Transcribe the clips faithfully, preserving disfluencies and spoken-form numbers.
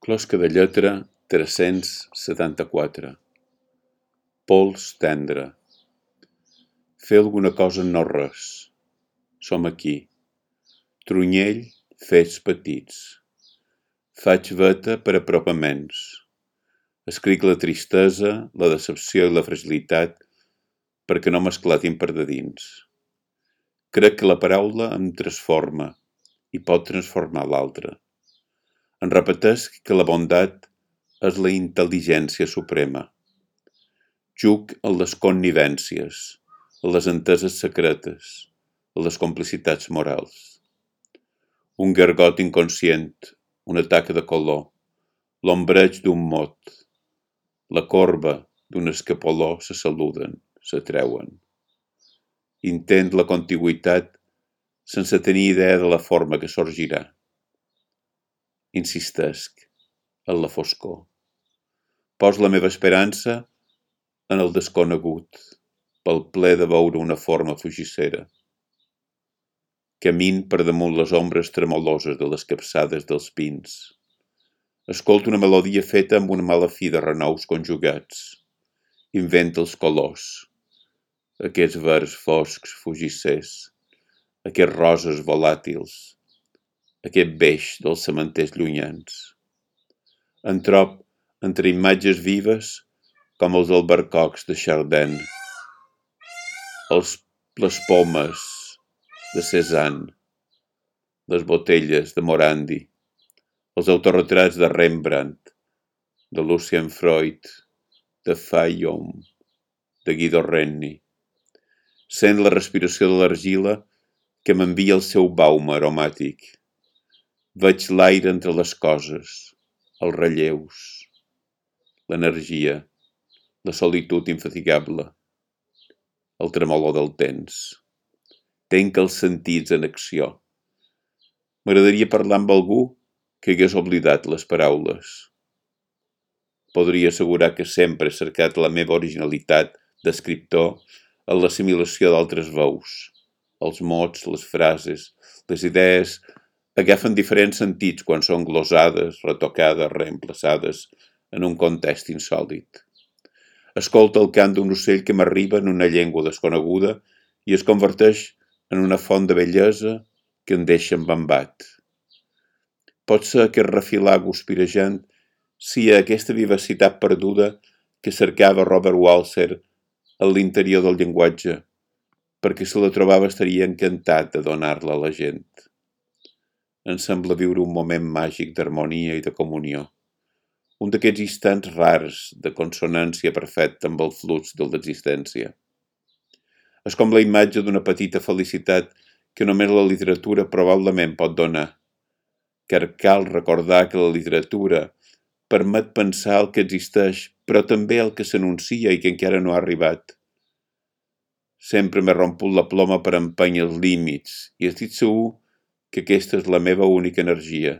Closca de lletra tres-cents setanta-quatre. Pols tendre. Fer alguna cosa no res. Som aquí. Trunyell, fets petits. Faig veta per apropaments. Escric la tristesa, la decepció i la fragilitat perquè no m'esclatin per de dins. Crec que la paraula em transforma i pot transformar l'altre. En repetesc que la bondat és la intel·ligència suprema. Juc a les connivències, a les enteses secretes, a les complicitats morals. Un gargot inconscient, una taca de color, l'ombreig d'un mot, la corba d'un escapoló se saluden, s'atreuen. Intent la contigüitat sense tenir idea de la forma que sorgirà. Insistesc en la foscor. Pos la meva esperança en el desconegut, pel ple de veure una forma fugissera. Camin per damunt les ombres tremoloses de les capçades dels pins. Escolto una melodia feta amb una mala fi de renous conjugats. Invento els colors. Aquests verds foscs fugissers. Aquests roses volàtils. Aquest beix dels cementers llunyans. En trob entre imatges vives com els albercocs de Chardin, els, les pomes de Cézanne, les botelles de Morandi, els autorretrats de Rembrandt, de Lucien Freud, de Fayom, de Guido Reni. Sent la respiració de l'argila que m'envia el seu baum aromàtic. Veig l'aire entre les coses, els relleus, l'energia, la solitud infatigable, el tremolor del temps. Tenc els sentits en acció. M'agradaria parlar amb algú que hagués oblidat les paraules. Podria assegurar que sempre he cercat la meva originalitat d'escriptor en l'assimilació d'altres veus. Els mots, les frases, les idees agafen diferents sentits quan són glosades, retocades, reemplaçades en un context insòlit. Escolta el cant d'un ocell que m'arriba en una llengua desconeguda i es converteix en una font de bellesa que em deixa embambat. Pot ser aquest refilar guspirejant si a aquesta vivacitat perduda que cercava Robert Walser a l'interior del llenguatge, perquè si la trobava estaria encantat de donar-la a la gent. Em sembla viure un moment màgic d'harmonia i de comunió. Un d'aquests instants rars de consonància perfecta amb el flux de l'existència. És com la imatge d'una petita felicitat que només la literatura probablement pot donar, car cal recordar que la literatura permet pensar el que existeix, però també el que s'anuncia i que encara no ha arribat. Sempre m'he romput la ploma per empènyer els límits i estic segur que aquesta és la meva única energia.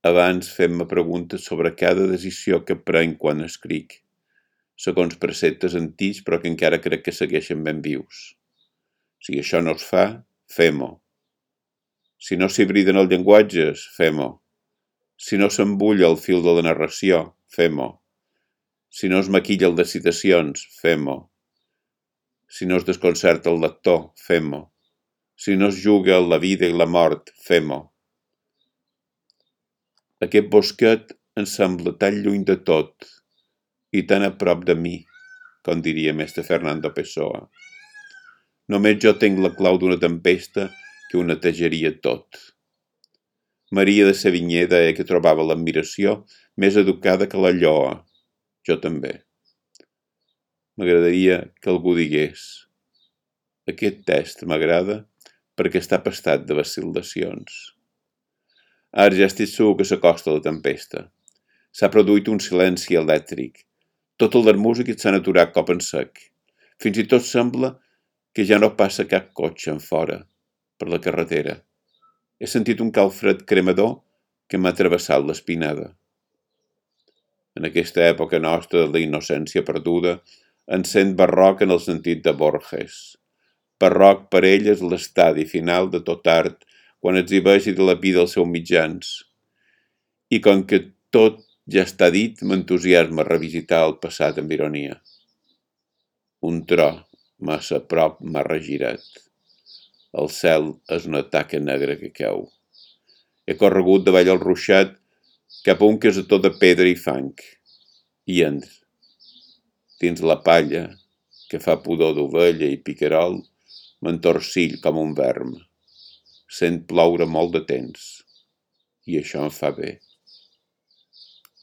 Abans fem-me preguntes sobre cada decisió que prenc quan escric, segons preceptes antics però que encara crec que segueixen ben vius. Si això no es fa, fem-ho. Si no s'hibriden els llenguatges, fem-ho. Si no s'embulla el fil de la narració, fem-ho. Si no es maquilla el de citacions, fem-ho. Si no es desconcerta el lector, fem-ho. Si no es juga la vida i la mort, fem-ho. Aquest bosquet em sembla tan lluny de tot i tan a prop de mi, com diria mestre Fernando Pessoa. Només jo tenc la clau d'una tempesta que ho netejaria tot. Maria de Sévigné deia que trobava l'admiració més educada que la lloa. Jo també. M'agradaria que algú digués: aquest text m'agrada perquè està pastat de vacil·lacions. Ara ja estic segur que s'acosta la tempesta. S'ha produït un silenci elèctric. Totes les músiques s'han aturat cop en sec. Fins i tot sembla que ja no passa cap cotxe enfora, per la carretera. He sentit un calfred cremador que m'ha travessat l'espinada. En aquesta època nostra de la innocència perduda, em sent barroc en el sentit de Borges. Barroc per ell és l'estadi final de tot art, quan exhibeix i dilapida els seus mitjans. i com que tot ja està dit, m'entusiasma revisitar el passat amb ironia. Un tro massa a prop m'ha regirat. El cel és una taca negra que cau. He corregut davall el ruixat cap a un casató de pedra i fang. I entra. Dins la palla, que fa pudor d'ovella i picarol, m'entorcill com un verm. Sent ploure molt de temps. I això em fa bé.